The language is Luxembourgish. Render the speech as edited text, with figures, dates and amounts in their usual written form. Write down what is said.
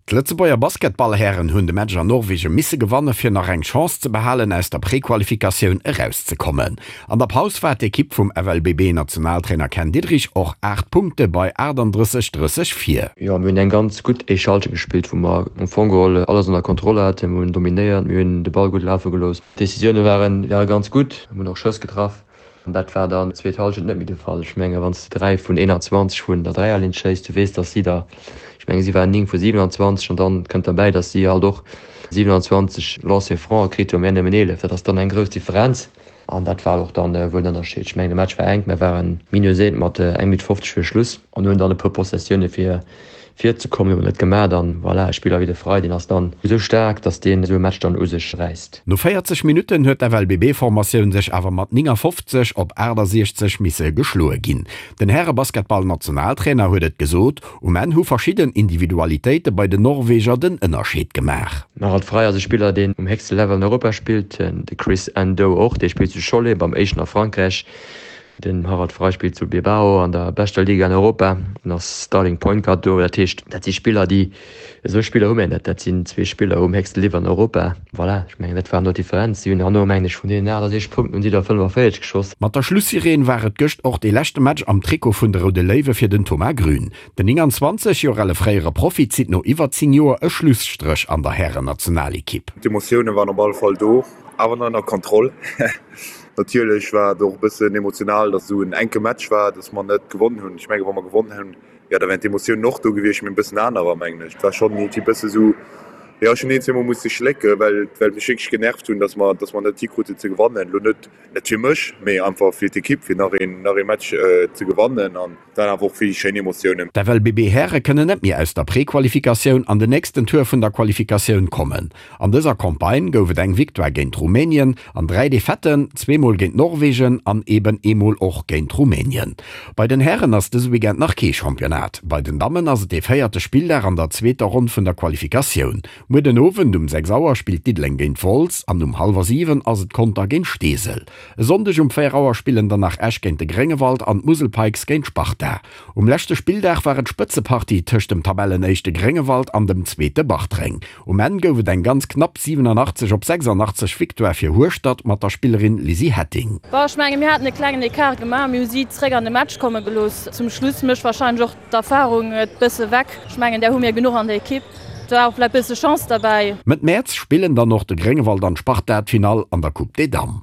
D'Lëtzebuerger Basketballhären hunn de Match an Norwegen misse gewanne fir nach eng Chance ze behalen aus der Prequalifikatioun erauszekommen. An der Paus war d'Ekipp vum FLBB-Nationaltrainer Ken Diederich och 8 Punkte bei 38, 30 vir. Jo, mir hunn eng ganz gutt éischt Halschent gespillt, wou mer am Fong geholl alles ënner Kontroll haten. Mir hunn dominéiert, mir hunn de Ball gutt lafe gelooss. D'Decisioune ware ganz gutt, mir hunn och Schëss getraff. An dat war dann zweet Hallschent net méi de Fall. Ech menge wann s de 3 vun 21 vun der Dräierlinn schéiss, du weess, datt si der, ech menge si waren 9 vu 27 an dann kënnt derbäi, datt si halt och 27 Lancers francs kritt hunn, mär nëmmen 11. Dat ass dann eng grouss Differenz an dat war och dann wuel den Ënnerscheed. Ech mengen de Match war enk, mär waren minus eent mat eng Minutt 50 vir Schluss an hunn dann e puer Possessioune fir Virzekommen, hu mer net gemaat an voilà, e Spiller wéi de Frey, deen ass dann esou staark, dass deen esou e Match dann u sech räisst. No 40 Minutten huet d'FLBB-Formatioun sech awer mat 59 op 68 misse geschloe ginn. Den Härebasketball-Nationaltrainer huet et gesot, Um Enn hu verschidden Individualitéite bei den Norweger den Ënnerscheed gemaach. Den Harald Frey ass e Spiller, deen um héchste Level an Europa spillt, de Chris Ndou och, dee spillt zu Cholet beim éischten a Frankräich. Den Harald Frey spillt zu Bilbao an der beschter Liga an Europa an ass Starting Point Guard do. Dat heescht, dat si Spiller, déi, esou Spiller hu mir net. Dat sinn zwee Spiller um héchste Level an Europa. Voilà, ech mengen, dat war no d'Differenz. Si hunn herno, mengen ech, vun deenen 68 Punkten hunn si der 45 geschoss. Mat der Schlussireen war et gëscht och dee leschte Match am Trikot vun de Roude Léiwe fir den Thomas Grün. Den 29 Joer ale fréiere Profi zitt no iwwer 10 Joer e Schlusstréch an der Härennationalekipp. D'Emotioune waren op alle Fall do, awer nach ënner Kontroll. Natierlech war et och e bëssen emotional, datt esou en enke Match war, datt mer net gewonnen hunn. Ech menge wa mer gewonnen hunn, jo da wären d'Emotiounen och do gewiescht, mee e bëssen anerer mengen ech. Et war schonn iergendwéi e bësse esou, jo ech hunn een, zweemol musse schlécke well well mech wierklech genervt hunn, datt mer datt mer net hikruten ze gewannen. Elo net net fir mech, mee einfach fir d'Ekipp, fir nach een nach ee Match ze gewannen an et waren awer och vill schéin Emotiounen. D'FLBB-Häre kënnen net méi aus der Prequalifikatioun an den nächsten Tour vun der Qualifikatioun kommen. An dëser Campagne gouf et eng Victoire géint Rumänien an 3 Defaitten, zweemol géint Norwegen an eben eemol och géint Rumänien. Bei den Hären ass dëse Weekend nach kee Championnat. Bei den Dammen ass et dee véierte Spilldag an der zweeter Ronn vun der Qualifikatioun. Muer den Owend um 6 Auer spillt Diddeleng géint Wolz an um hallwer 7 ass et Conter géint Steesel. E Sonndeg um 4 Auer spillen dann nach Esch géint de Gréngewald an d'Musel Pikes géint Sparta. Um leschte Spilldag war et Spëtzepartie tëscht dem Tabellenéischte Gréngewald an dem zweete Bartreng. Um Enn gouf et eng ganz knapp 87 op 86 Victoire fir Hueschtert mat der Spillerin Lizzie Hetting. Bon, ech menge mir haten e klengen Ecart gemaach, mir hu si zréck an de Match komme gelooss. Zum Schluss mécht warscheinlech och d'Erfarung et bësse weg. Ech mengen där hu mir genuch an der Ekipp. Et war och vläicht bësse Chance derbäi. Mëtt Mäerz spillen dann och de Gréngewald an d'Sparta d'Finall an der Coupe des Dames.